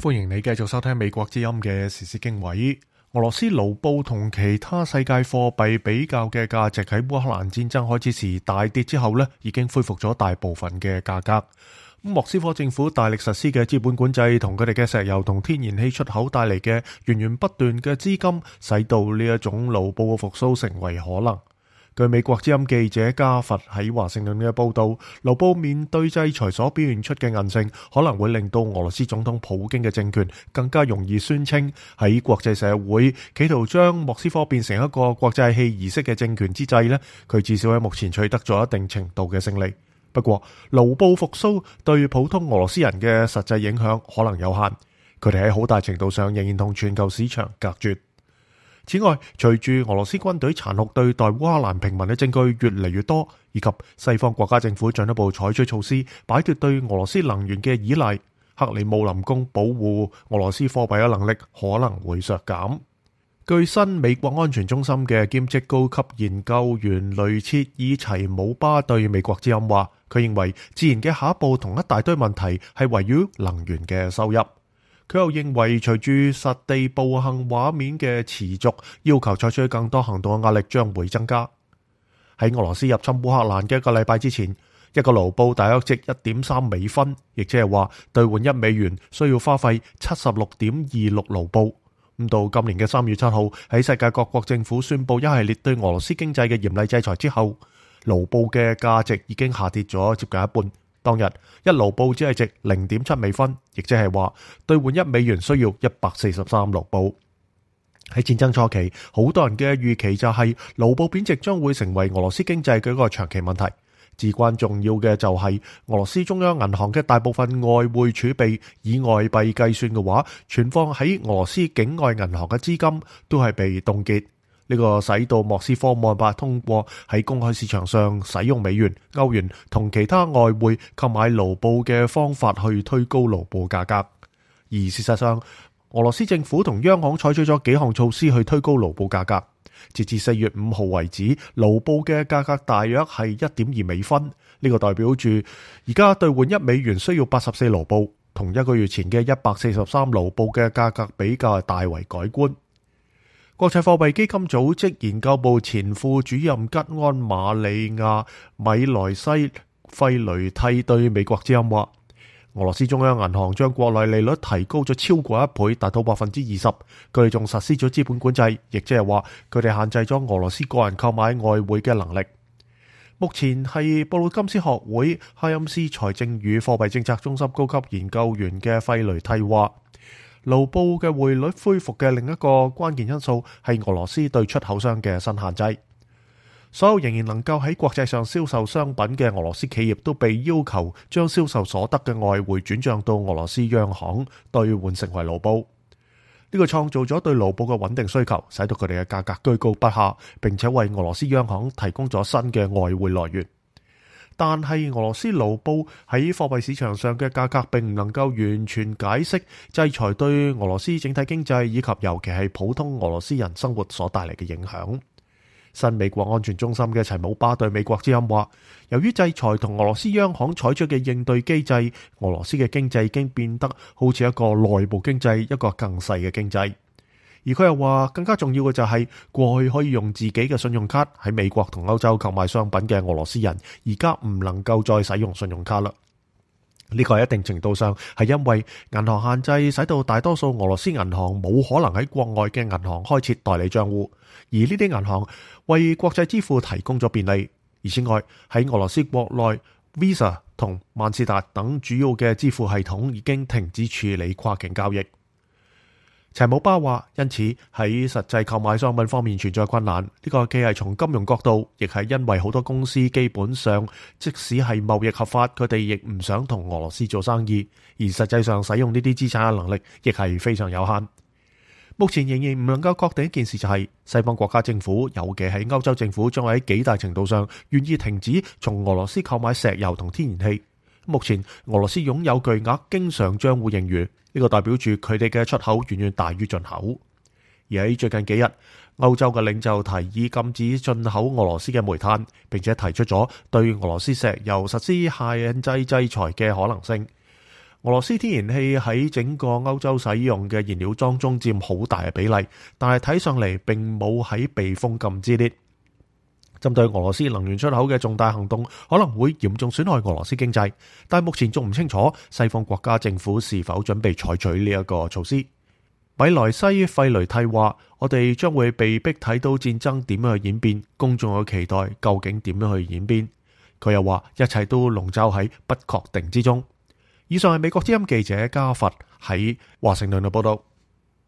歡迎你繼續收聽美國之音嘅時事經緯。俄羅斯盧布同其他世界貨幣比較嘅價值喺烏克蘭戰爭開始時大跌之後已經恢復咗大部分嘅價格。莫斯科政府大力實施嘅資本管制同佢哋嘅石油同天然氣出口帶嚟嘅源源不斷嘅資金，使到呢一種盧布嘅復甦成為可能。據美國之音記者加佛喺華盛頓嘅報道，盧布面對制裁所表現出嘅韌性，可能會令到俄羅斯總統普京嘅政權更加容易宣稱喺國際社會企圖將莫斯科變成一個國際戲儀式嘅政權之際佢至少喺目前取得咗一定程度嘅勝利。不過，盧布復甦對普通俄羅斯人嘅實際影響可能有限，佢哋喺好大程度上仍然同全球市場隔絕。此外，隨住俄羅斯軍隊殘酷對待烏克蘭平民嘅證據越嚟越多，以及西方國家政府進一步採取措施擺脫對俄羅斯能源嘅依賴，克里姆林宮保護俄羅斯貨幣嘅能力可能會削減。據新美國安全中心嘅兼職高級研究員雷切爾齊姆巴對美國之音話，佢認為自然嘅下一步同一大堆問題係圍繞能源嘅收入。佢又認為，隨住實地暴行畫面嘅持續，要求採取更多行動嘅壓力將會增加。喺俄羅斯入侵烏克蘭嘅一個禮拜之前，一個盧布大約值1.3美分，亦即係話兌換1美元需要花費76.26盧布。咁到今年嘅3月7號，喺世界各國政府宣布一系列對俄羅斯經濟嘅嚴厲制裁之後，盧布嘅價值已經下跌咗接近一半。當日一盧布只係值0.7美分，亦即係話兌換1美元需要143盧布。喺戰爭初期，好多人嘅預期就係盧布貶值將會成為俄羅斯經濟嘅一個長期問題。至關重要嘅就係俄羅斯中央銀行嘅大部分外匯儲備，以外幣計算嘅話，存放喺俄羅斯境外銀行嘅資金都係被凍結。呢個使到莫斯科冇辦法通過喺公開市場上使用美元、歐元同其他外匯購買盧布嘅方法去推高盧布價格。而事實上，俄羅斯政府同央行採取咗幾項措施去推高盧布價格。截至4月5號為止，盧布嘅價格大約係1.2美分。呢個代表住而家兌換1美元需要84盧布，同一個月前嘅143盧布嘅價格比較大為改觀。國際貨幣基金組織研究部前副主任吉安瑪利亞米萊西費雷蒂對美國之音話，俄羅斯中央銀行將國內利率提高咗超過1倍，達到20%。佢哋仲實施咗資本管制，亦即係話佢哋限制咗俄羅斯個人購買外匯嘅能力。目前係布魯金斯學會哈欽斯財政與貨幣政策中心高級研究員嘅費雷蒂話，盧布嘅匯率恢復嘅另一個關鍵因素係俄羅斯對出口商嘅新限制。所有仍然能夠喺國際上銷售商品嘅俄羅斯企業都被要求將銷售所得嘅外匯轉賬到俄羅斯央行兌換成為盧布。呢個創造咗對盧布嘅穩定需求，使到佢哋嘅價格居高不下，並且為俄羅斯央行提供咗新嘅外匯來源。但係俄羅斯盧布喺貨幣市場上嘅價格並唔能夠完全解釋制裁對俄羅斯整體經濟以及尤其係普通俄羅斯人生活所帶嚟嘅影響。新美國安全中心嘅齊姆巴對美國之音話，由於制裁同俄羅斯央行採取嘅應對機制，俄羅斯嘅經濟已經變得好似一個內部經濟，一個更細嘅經濟。而佢又話，更加重要嘅就係過去可以用自己嘅信用卡喺美國同歐洲購買商品嘅俄羅斯人，而家唔能夠再使用信用卡啦。呢個喺一定程度上係因為銀行限制，使到大多數俄羅斯銀行冇可能喺國外嘅銀行開設代理賬戶，而呢啲銀行為國際支付提供咗便利。而此外，喺俄羅斯國內 Visa 同萬事達等主要嘅支付系統已經停止處理跨境交易。齊姆巴話，因此喺實際購買商品方面存在困難。呢個既係從金融角度，亦係因為好多公司基本上即使係貿易合法，佢哋亦唔想同俄羅斯做生意，而實際上使用呢啲資產嘅能力亦係非常有限。目前仍然唔能夠確定一件事，就係西方國家政府，尤其係歐洲政府，將喺幾大程度上願意停止從俄羅斯購買石油同天然氣。目前俄羅斯擁有巨額經常賬戶盈餘，呢個代表住佢哋嘅出口遠遠大於進口。而喺最近幾日，歐洲嘅領袖提議禁止進口俄羅斯嘅煤炭，並且提出咗對俄羅斯石油實施限制制裁嘅可能性。俄羅斯天然氣喺整個歐洲使用嘅燃料當中佔好大嘅比例，但係睇上嚟並冇喺被封禁之列。針對俄羅斯能源出口嘅重大行動可能會嚴重損害俄羅斯經濟，但目前仲唔清楚西方國家政府是否準備採取呢一個措施。米萊西費雷蒂話：我哋將會被逼睇到戰爭點樣去演變，公眾嘅期待究竟點樣去演變。佢又話：一切都籠罩喺不確定之中。以上係美國之音記者加佛喺華盛頓嘅報道。